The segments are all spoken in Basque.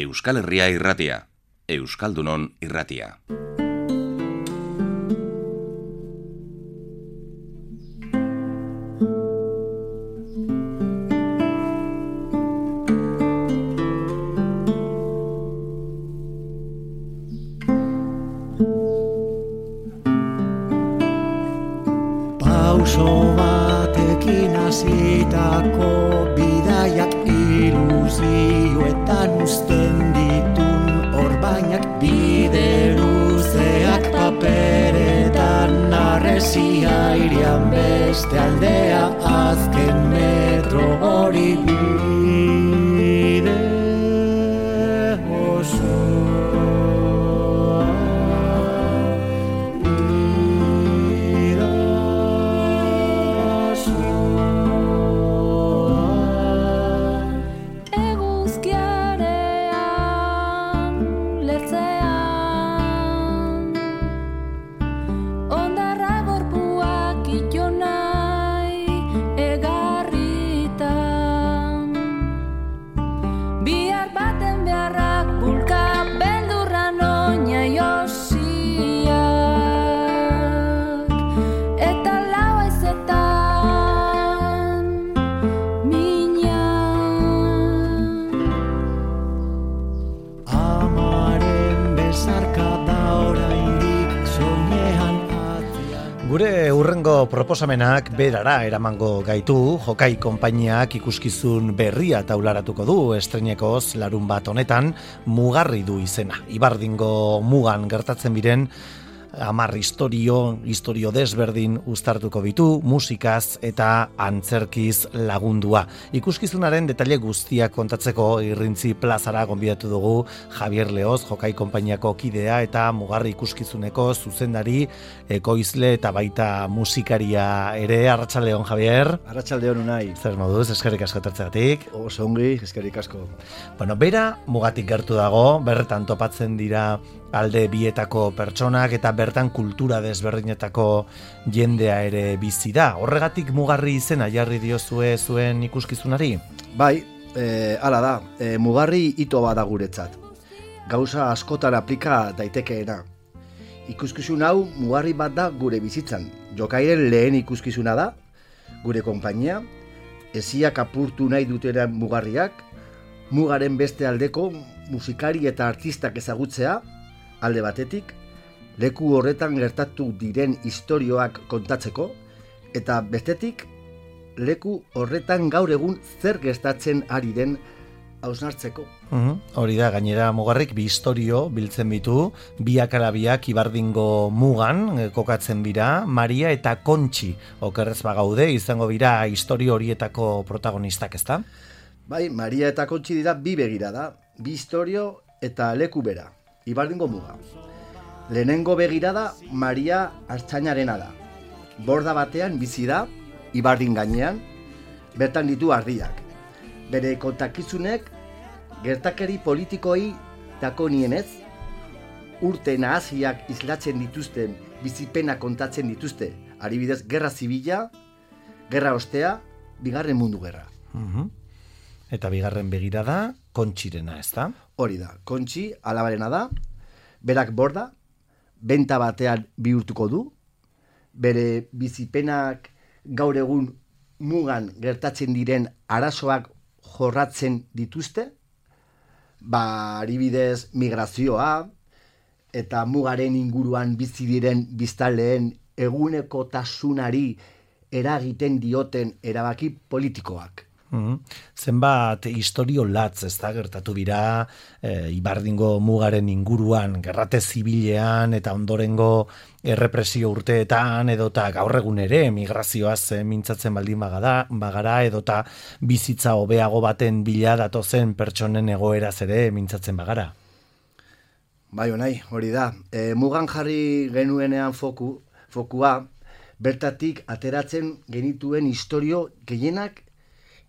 Euskal Herria irratia, Euskaldunon irratia. Pauso batekin hasitako bidaiak ilusioetan uzten ditun orbainak, bide luzeak paperetan arresi airean beste aldea, azken metro hori bide osoa. Gure hurrengo proposamenak berara eramango gaitu. Jokai konpainiak ikuskizun berria taularatuko du estreinekoz larunbat honetan. Mugarri du izena. Ibardingo mugan gertatzen biren 10 istorio desberdin uztartuko bitu, musikaz eta antzerkiz lagundua. Ikuskizunaren detaile guztiak kontatzeko Irrintzi plazara gonbidatu dugu Javier Leoz, Jokai konpainiako kidea eta Mugarri ikuskizuneko zuzendari, ekoizle eta baita musikaria ere. Arratsaldeon, Javier. Arratsaldeon unai. Zer moduz, eskerrik asko etortzeagatik. Oso ongi, eskerrik asko. Bueno, bera mugatik gertu dago, bertan topatzen dira alde bietako pertsonak eta bertan kultura desberdinetako jendea ere bizi da. Horregatik Mugarri izena jarri diozue zuen ikuskizunari? Bai, hala da, Mugarri hito bada guretzat. Gauza askotan aplika daitekeena. Ikuskizun hau mugarri bat da gure bizitzan. Jokairen lehen ikuskizuna da, gure konpainia, eziak apurtu nahi duteran mugarriak, mugaren beste aldeko musikari eta artistak ezagutzea, alde batetik, leku horretan gertatu diren istorioak kontatzeko, eta bestetik, leku horretan gaur egun zer gertatzen ari den hausnartzeko. Hori da, gainera Mugarrik bi istorio biltzen bitu, biak ala biak Ibardingo mugan kokatzen bira, Maria eta Kontxi okerrez bagaude izango bira istorio horietako protagonistak, ezta? Bai, Maria eta Kontxi dira bi begirada, bi istorio eta leku bera, Ibardingo muga. Lehenengo begirada Maria Artzainarena da. Borda batean bizi da, Ibardin gainean, bertan ditu ardiak. Bere kontakizunek gertakari politikoi dakonienez, urte nahasiak islatzen dituzten bizipena kontatzen dituzte. Adibidez, gerra zibila, gerra ostea, bigarren mundu gerra. Eta bigarren begirada Kontxirena, ez da? Hori da, Kontxi alabarena da, berak borda, benta batean bihurtuko du, bere bizipenak gaur egun mugan gertatzen diren arazoak jorratzen dituzte, adibidez migrazioa eta mugaren inguruan bizi diren biztanleen egunekotasunari eragiten dioten erabaki politikoak. Zenbat istorio latz, ez da, gertatu bira Ibardingo mugaren inguruan, gerrate zibilean eta ondorengo errepresio urteetan, edota gaur egun ere migrazioaz mintzatzen baldin bagara, edota bizitza hobeago baten bila datozen pertsonen egoeraz ere mintzatzen bagara. Bai, onai, hori da. Mugan jarri genuenean fokua, bertatik ateratzen genituen istorio gehienak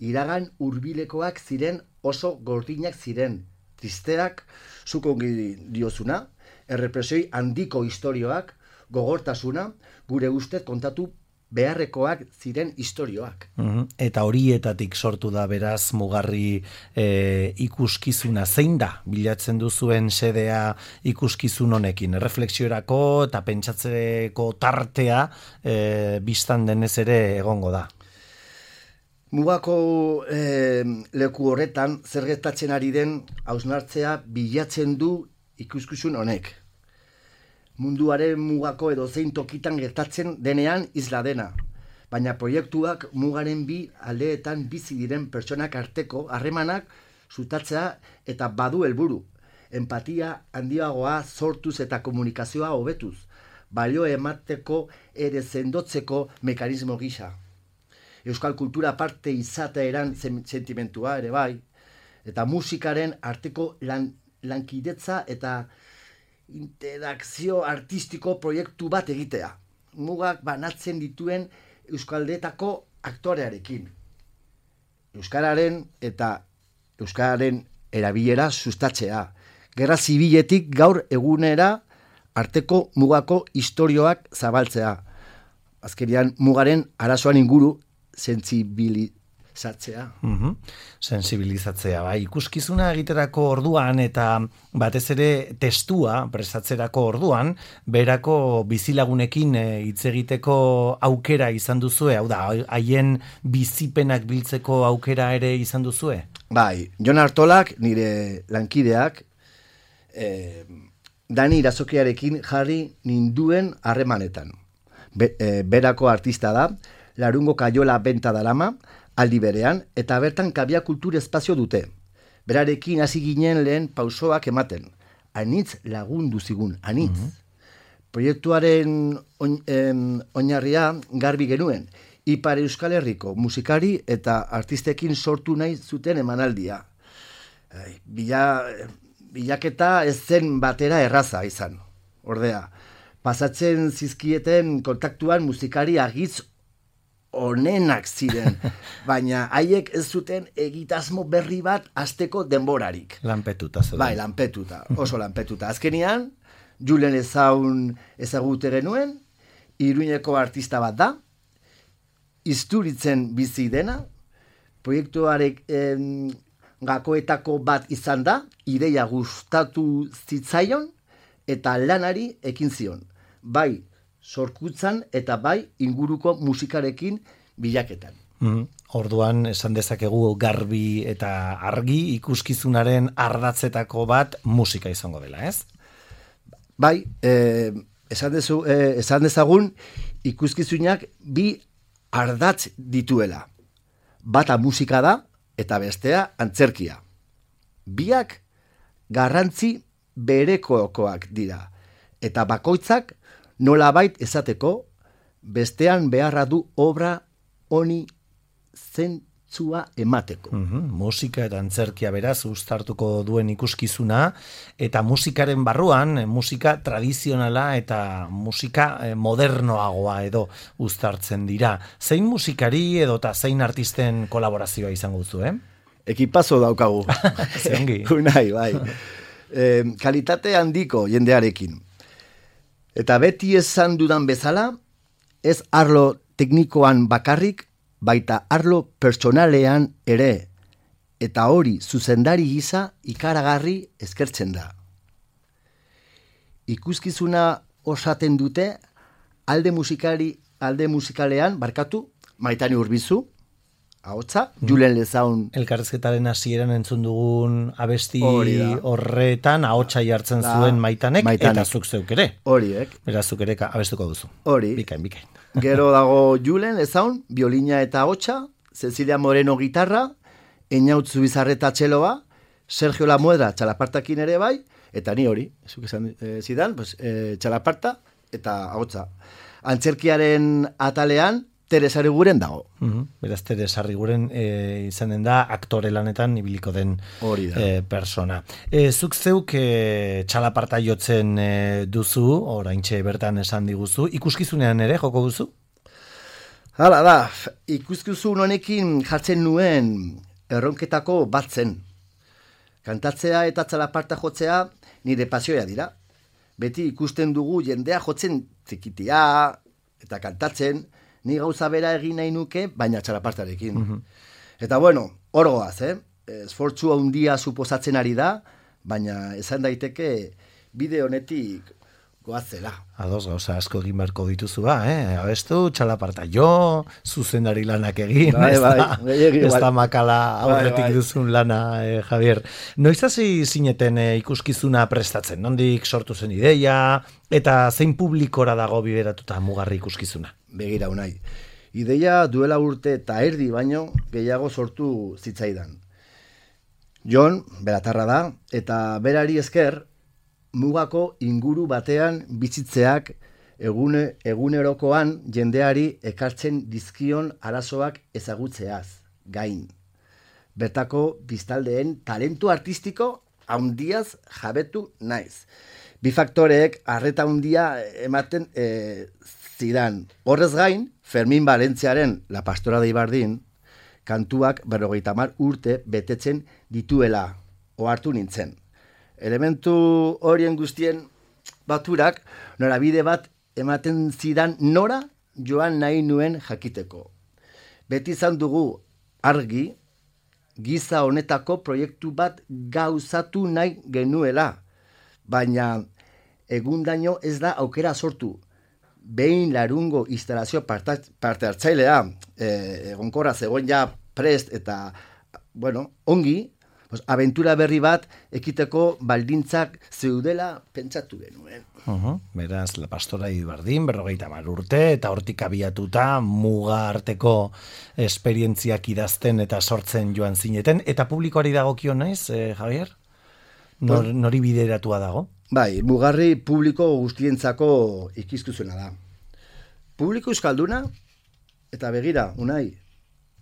iragan hurbilekoak ziren, oso gordinak ziren, tristeak, zuk ongi diozuna, errepresioi handiko istorioak, gogortasuna, gure ustez kontatu beharrekoak ziren istorioak. Eta horietatik sortu da beraz Mugarri ikuskizuna. Zein da bilatzen duzuen xedea ikuskizun honekin? Erreflexiorako eta pentsatzeko tartea bistan denez ere egongo da. Mugako leku horretan zer gertatzen ari den hausnartzea bilatzen du ikuskizun honek. Munduaren mugako edozein tokitan gertatzen denean isla dena. Baina proiektuak mugaren bi aldeetan bizi diren pertsonak arteko harremanak zutatzea eta badu helburu. Empatia handiagoa sortuz eta komunikazioa hobetuz. Balio emateko ere sendotzeko mekanismo gisa. Euskal kultura parte izateeran sentimentua ere bai. Eta musikaren arteko lankidetza eta interakzio artistiko proiektu bat egitea. Mugak banatzen dituen euskaldeetako aktorearekin. Euskararen eta euskararen erabilera sustatzea. Gerra zibiletik gaur egunera arteko mugako istorioak zabaltzea. Azkenean mugaren arazoan inguru sentsibilizatzea. Sensibilizatzea, bai. Ikuskizuna egiterako orduan eta batez ere testua prestatzerako orduan, berako bizilagunekin hitz egiteko aukera izan duzue, hau da, haien bizipenak biltzeko aukera ere izan duzue? Bai, Jon Artolak, nire lankideak, Dani Irazokiarekin jarri ninduen harremanetan. Berako artista da, Larungo Kaiola benta darama, aldi berean, eta bertan Kabia kultur espazio dute. Berarekin hasi ginen lehen pausoak ematen. Anitz lagundu zigun, anitz. Proiektuaren oinarria garbi genuen. Ipar Euskal Herriko musikari eta artistekin sortu nahi zuten emanaldia. Bilaketa ez zen batera erraza izan. Ordea, pasatzen zizkieten kontaktuan musikari argitz onenak ziren, baina haiek ez zuten egitasmo berri bat hasteko denborarik. Lanpetuta zeuden. Bai, lanpetuta, oso lanpetuta. Azkenian, Julen Ezaun ezagute genuen, Iruñeko artista bat da, Isturitzen bizi dena, proiektuarek gakoetako bat izan da, ideia gustatu zitzaion, eta lanari ekin zion. Bai, sorkutzan eta bai inguruko musikarekin bilaketan. Orduan esan dezakegu garbi eta argi ikuskizunaren ardatzetako bat musika izango dela, ez? Bai, esan dezagun ikuskizunak bi ardatz dituela. Bata musika da eta bestea antzerkia. Biak garrantzi berekoak dira eta bakoitzak nolabait esateko, bestean beharra du obra honi zentzua emateko. Musika eta antzerkia beraz uztartuko duen ikuskizuna, eta musikaren barruan, musika tradizionala eta musika modernoagoa edo uztartzen dira. Zein musikari edota zein artisten kolaborazioa izango duzu, Ekipazo daukagu. Zeongi. Unai, bai. Kalitate handiko jendearekin. Eta beti esan dudan bezala, ez arlo teknikoan bakarrik, baita arlo pertsonalean ere, eta hori zuzendari gisa ikaragarri eskertzen da. Ikuskizuna osaten dute alde musikalean, Maitane Urbizu, ahotsa, Julen Lezaun. Elkarrezketaren hasieran entzun dugun abesti horretan ahotsa jartzen zuen Maitanek, eta zuk zeuk ere. Horiek. Beraz, zuk ere abestuko duzu. Hori. Bikain. Gero dago Julen Lezaun, biolina eta ahotsa, Cecilia Moreno gitarra, Einautzu Bizarreta txeloa, Sergio Lamuedra txalapartakin ere bai, eta ni hori, zuk esan zidan, txalaparta eta ahotsa. Antzerkiaren atalean, Teresa Arriguren dago. Beraz, Teresa Arriguren izanen da aktore lanetan ibiliko den persona. Zuk zeuk txalaparta jotzen duzu, oraintxe bertan esan diguzu, ikuskizunean ere joko duzu? Hala da, ikuskizun honekin jartzen nuen erronketako bat zen. Kantatzea eta txalaparta jotzea nire pasioa dira. Beti ikusten dugu jendea jotzen txikitia eta kantatzen, Ni gauza bera egin nahi nuke, baina txalapastarekin. Eta bueno, horgoaz, esfortzu handia suposatzen ari da, baina esan daiteke bide honetik goazela. Ados, gauza asko egin beharko dituzu abestu, txalaparta jo, zuzendari lanak egin, ez da makala aurretik duzun lana, Javier. Noiz hasi zineten ikuskizuna prestatzen, nondik sortu zen ideia, eta zein publikora dago bideratuta Mugarri ikuskizuna? Begira, Unai, ideia duela urte eta erdi baino gehiago sortu zitzaidan. Jon, beratarra da, eta berari esker, Mugako inguru batean bizitzeak egunerokoan jendeari ekartzen dizkion arazoak ezagutzeaz, gain. Bertako biztaldeen talentu artistiko handiaz jabetu naiz. Bi faktoreek arreta handia ematen zidan. Horrez gain, Fermin Valentziaren La Pastora de Ibardin kantuak 50 urte betetzen dituela ohartu nintzen. Elementu horien guztien baturak norabide bat ematen zidan nora joan nahi nuen jakiteko. Beti izan dugu argi giza honetako proiektu bat gauzatu nahi genuela, baina egundaino ez da aukera sortu. Behin larungo instalazio parte hartzailea egonkorra zegoen ja prest eta, ongi, abentura berri bat ekiteko baldintzak zeudela pentsatu genuen. Beraz, La Pastora de Ibardin, 50 urte, eta hortik abiatuta muga arteko esperientziak idazten eta sortzen joan zineten, eta publikoari dagokio naiz, Javier? Nori bideratua dago? Bai, Mugarri publiko guztientzako ikuskizuna da. Publiko euskalduna, eta begira, Unai,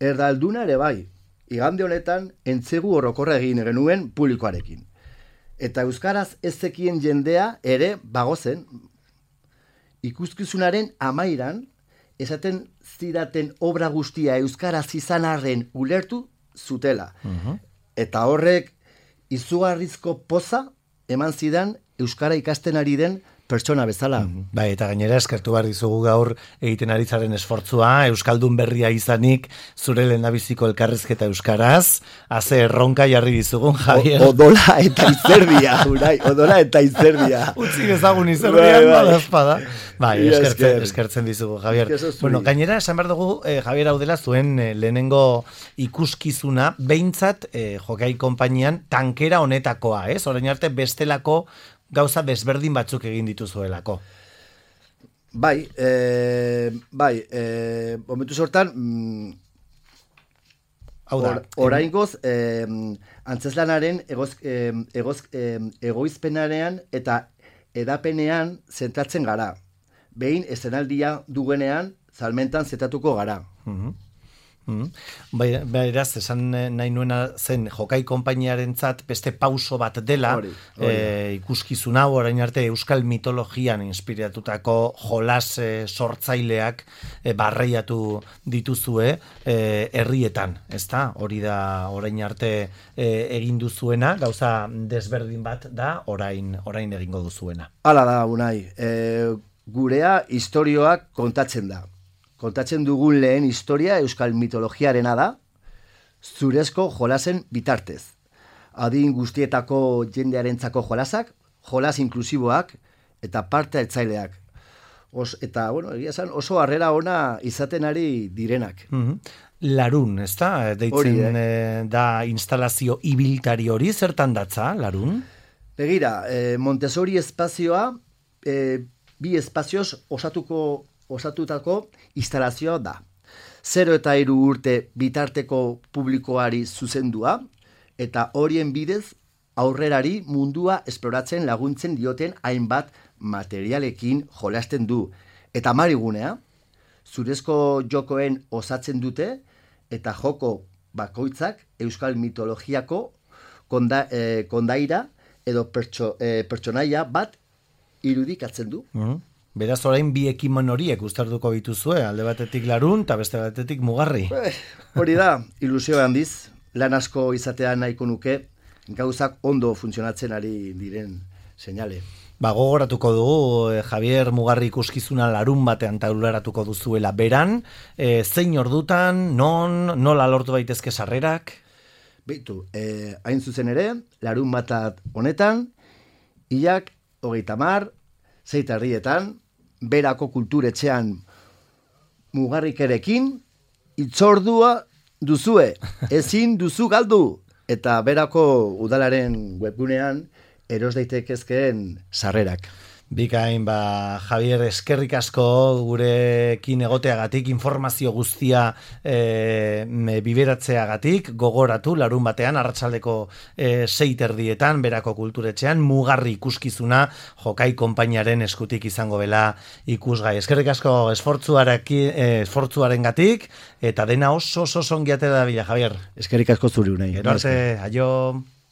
erdalduna ere bai. Igande honetan entzegu orokorra egin genuen publikoarekin. Eta euskaraz ez zekien jendea ere bagozen. Ikuskizunaren amairan, esaten zidaten obra guztia euskaraz izan arren ulertu zutela. Eta horrek izugarrizko poza eman zidan euskara ikasten ari den pertsona bezala. Bai, eta gainera eskertu behar dizugu gaur egiten ari zaren esfortzua, euskaldun berria izanik, zure lehendabiziko elkarrizketa euskaraz, haze erronka jarri dizugun, Javier. Odola eta izerdia, Unai, odola eta izerdia. Utzi ezagun izerdian, badazpada. Bai, eskertzen dizugu, Javier. Bueno, gainera, esan behar dugu, Javier, hau dela zuen lehenengo ikuskizuna, behintzat, Jokai konpainian, tankera honetakoa, orain arte bestelako gauza desberdin batzuk egin dituzuelako. Bai, momentu sortan, oraingoz, antzeslanaren egoizpenarean eta edapenean zentratzen gara. Behin estenaldia duguenean, salmentan zetatuko gara. Beraz, esan nahi nuena zen Jokai konpainiarentzat beste pauso bat dela, ikuskizun hau orain arte euskal mitologian inspiratutako jolas sortzaileak barreiatu dituzue herrietan, ezta? Hori da orain arte egin duzuena, gauza desberdin bat da orain egingo duzuena. Hala da, Unai, gurea istorioak kontatzen da. Kontatzen dugun lehen historia euskal mitologiarena da, zurezko jolasen bitartez. Adin guztietako jendearentzako jolasak, jolas inklusiboak eta parte hartzaileak. Eta, egia esan, oso harrera ona izaten ari direnak. Larun, ez da? Deitzen da instalazio ibiltari hori, zertan datza, Larun? Begira, Montessori espazioa, bi espazioz osatutako instalazioa da. 0 eta 3 urte bitarteko publikoari zuzendua, eta horien bidez aurrerari mundua esploratzen laguntzen dioten hainbat materialekin jolasten du. Eta marigunea, zurezko jokoen osatzen dute, eta joko bakoitzak euskal mitologiako kondaira edo pertsonaia bat irudikatzen du. Beraz, orain bi ekimen horiek uztartuko dituzue, alde batetik Larun eta beste batetik Mugarri. Hori da, ilusio handiz, lan asko izatea nahiko nuke, gauzak ondo funtzionatzen ari diren seinale. Gogoratuko dugu, Javier Mugarri ikuskizuna larun batean taularatuko duzuela beran, zein ordutan, nola lortu daitezke sarrerak? Beitu, hain zuzen ere, larun batat honetan, hilak 30, 6:30, Berako kulturetxean Mugarrikerekin, itzordua duzue, ezin duzu galdu, eta Berako udalaren webgunean eros daitekeen sarrerak. Bikain, Javier, eskerrik asko gurekin egoteagatik, informazio guztia biberatzeagatik, gogoratu, larun batean, arratsaldeko 6:30 Berako kulturetxean, Mugarri ikuskizuna Jokai konpainiaren eskutik izango dela ikusgai. Eskerrik asko esfortzuarengatik, eta dena oso ongi ate da bila, Javier. Eskerrik asko zuri unai. Gero arte, aio.